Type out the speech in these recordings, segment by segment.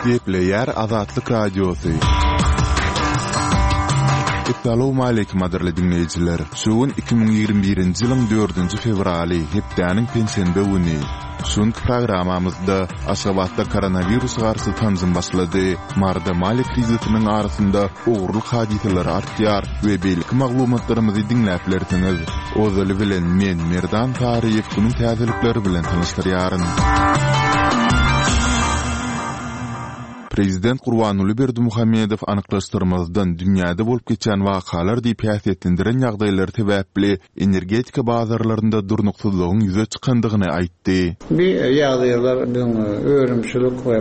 Gepleýär Azatlyk Radiosy. Essalawmaleýkim gadyrly diňleýjiler! Şu gün 2021-nji ýylyň dördünji fewraly, hepdäniň penşenbe güni. Şu günki programmamyzda Aşgabatda koronawirusa garşy sanjym başlady, Maryda maliýe krizisiniň arasynda ogurlyk hadysalary artýar we beýleki maglumatlarymyzy diňläp bilersiňiz. Ozaly bilen men, Merdan Saryýew günüň täzelikleri bilen tanyşdyrýaryn. Prezident Gurbanguly Berdimuhamedow anyklaşdyrmazdan dünýäde bolup geçýän wakalar diýip häsiýetlendiren ýagdaýlary sebäpli energetika bazarlarynda durnuksyzlygyň ýüze çykandygyny aýtdy. Bu ýagdaýlar biziň önümçilik we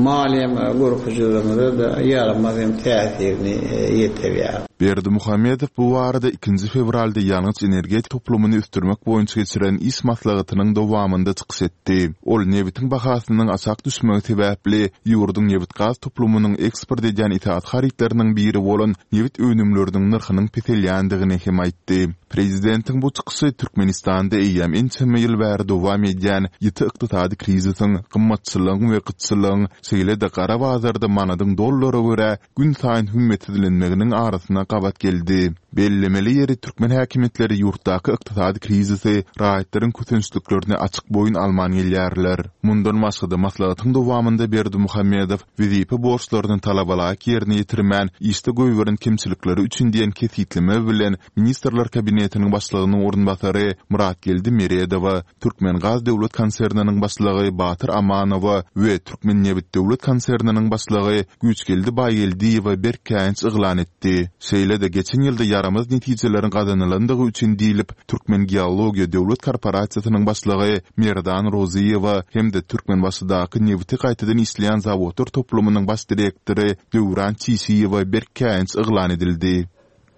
maliýe görkezijilerimize-de ýaramaz hem täsirini ýetirýär. Berdimuhamedow bu barada ikinji fewralda ýangyç-energetika toplumyny ösdürmek boýunça geçiren iş maslahatynyň dowamynda çykyş etdi. Ol nebitiň bahasynyň aşak düşmegi sebäpli ýurduň nebitgaz toplumynyň eksport edýän esasy harytlarynyň biri bolan nebit önümleriniň nyrhynyň peselýändigini hem aýtdy. Prezidentiň bu çykyşy Türkmenistanda eýýäm ençeme ýyl bäri dowam edýän ýiti ykdysady krizisiň, gymmatçylygyň we gytçylygyň, şeýle-de gara bazarda manadyň dollara görä günsaýyn hümmetsizlenmeginiň arasyna gabat geldi. Bellemeli ýeri, türkmen häkimiýetleri ýurtdaky ykdysady krizisi, raýatlaryň kösençliklerini açyk boýun alman gelýärler. Mundan başga-da, maslahatyň dowamynda Berdimuhamedow wezipe borçlaryny talabalaýyk ýerine ýetirmän, işde goýberen kemçilikleri üçin diýen kesgitleme bilen Ministrler Kabinetiniň Başlygynyň orunbasary Myratgeldi Meredowa, Türkmengaz döwlet konserniniň başlygy Batyr Amanowa we Türkmennebit döwlet konserniniň başlygy Güýçgeldi Baýgeldiýewe berk käýinç yglan etdi. Şeýle-de geçen ýylda ýaramaz netijeleriň gazanylandygy üçin diýlip, Türkmengeologiýa döwlet korporasiýasynyň başlygy Merdan Rozyýewa hem-de Türkmenbaşydaky nebiti gaýtadan işleýän zawodlar toplumynyň baş direktory Döwran Çişiýewe berk käýinç yglan edildi.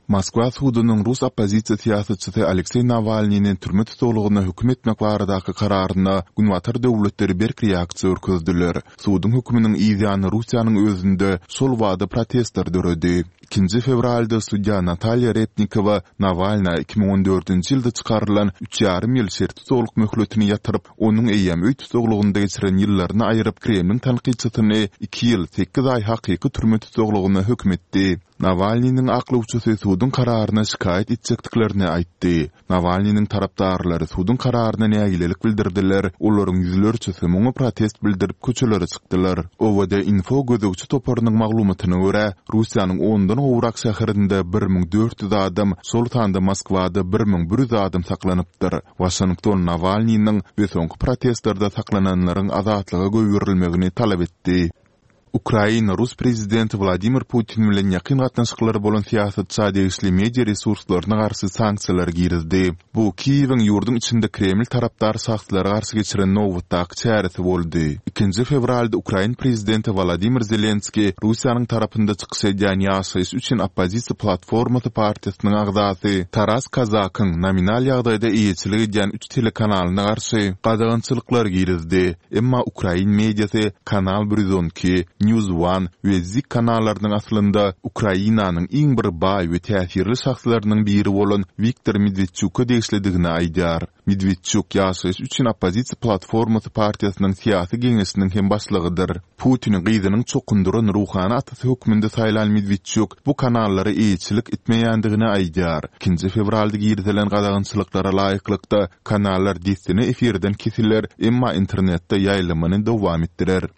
Moskwa sudunyň rus oppozisiýa syýasatçysy Alekseý Nawalnyny türme tussaglygyna höküm etmek baradaky kararyna Günbatar döwletleri berk reaksiýa görkezdiler. Suduň höküminiň yzýany Russiýanyň özünde şol bada protestler döredi. Ikinji fewralda sudýa Natalýa Repnikowa Nawalna 2014-nji ýylda çykarylan üç ýarym ýyl şertli tussaglyk möhletini ýatyryp, onuň eýýäm öý tussaglygynda geçiren ýyllaryny aýryp, Kremliň tankytçysyny iki ýyl, sekiz aý hakyky türme tussaglygyna höküm etdi. Nawalnynyň aklawçysy suduň kararyna şikaýat etjekdiklerini aýtdy. Nawalnynyň tarapdarlary suduň kararyna nägilelik bildirdiler, olaryň ýüzlerçesi muňa protest bildirip köçelere çykdylar. OVD-Info gözegçi toparynyň maglumatyna görä, Russiýanyň ondan gowrak şäherinde 1400 adam, şol sanda Moskwada 1100 adam saklanypdyr. Waşington Nawalnynyň we soňky protestlerde saklananlaryň azatlyga goýberilmegini talap etdi. Ukraina rus prezidenti Wladimir Putin bilen ýakyn gatnaşyklary bolan syýasatça degişli media resurslaryna garşy sanksiýalary girizdi. Bu Kiýewiň ýurduň içinde Kreml tarapdar şahslara garşy geçiren nobatdaky çäresi boldy. Ikinji fewralda ukrain prezidenti Wolodymyr Zelenskiý Russiýanyň tarapynda çykyş edýän Ýaşaýyş üçin oppozisiýa platformasy partiýasynyň agzasy Taras Kazakyň nominal ýagdaýda eýeçilik edýän üç telekanalyna garşy gadagançylyklar girizdi. Emma ukrain mediasy Kanal 112, News One we Zik kanallarynyň aslynda Ukrainanyň iň bir baý we täsirli şahslarynyň biri bolan Wiktor Medwedçuka degişlidigini aýdýar. Medwedçuk Ýaşaýyş üçin oppozisiýa platformasy partiýasynyň syýasy geňeşiniň hem başlygydyr. Putini gyzynyň çokundyran ruhany atasy hökmünde saýlan Medwedçuk bu kanallara eýeçilik etmeýändigini aýdýar. Ikinji fewralda girizilen gadagançylyklara laýyklykda, Kanallar dessine efirden kesiler, emma internetde ýaýlymyny dowam etdirer.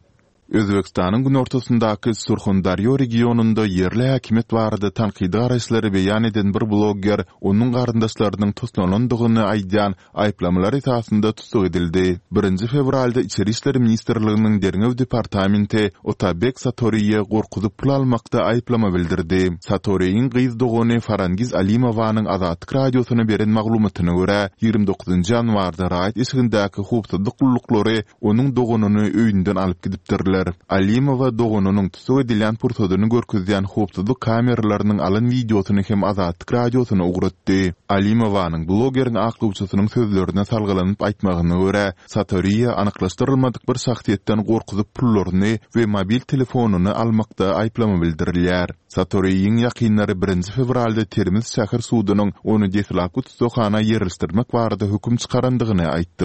Özbegistanyň günortasyndaky Surhondarýo regionynda ýerli häkimiýet barada tankydy garaýyşlary beýan eden bir blogger onuň garyndaşlarynyň toslalandygyny aýdýan aýyplamalar esasynda tussag edildi. Birinji fewralda Içeri işler ministrliginiň derňew departamenti Otabek Satoriýe gorkuzyp pul almakda aýyplama bildirdi. Satoriýiň gyz dogany Farangiz Alimowanyň Azatlyk Radiosyna beren maglumatyna görä, 29 ýanwarda raýat eşigindäki howpsuzlyk gulluklary onuň doganyny öýünden alyp gidipdirler. Alimowa doganynyň tussag edilýän pursadyny görkezýän howpsuzlyk kameralarynyň alan wideosyny hem Azatlyk Radiosyna ugratdy. Alimowanyň blogeriň aklawçysynyň sözlerine salgylanyp aýtmagyna görä, Satoriýa anyklaşdyrylmadyk bir şahsyýetden gorkuzyp pullaryny we mobil telefonyny almakda aýyplama bildirilýär. Satoriýiň ýakynlary birinji fewralda Termiz şäher sudunyň ony deslapky tussaghana ýerleşdirmek barada höküm çykarandygyny aýtdy.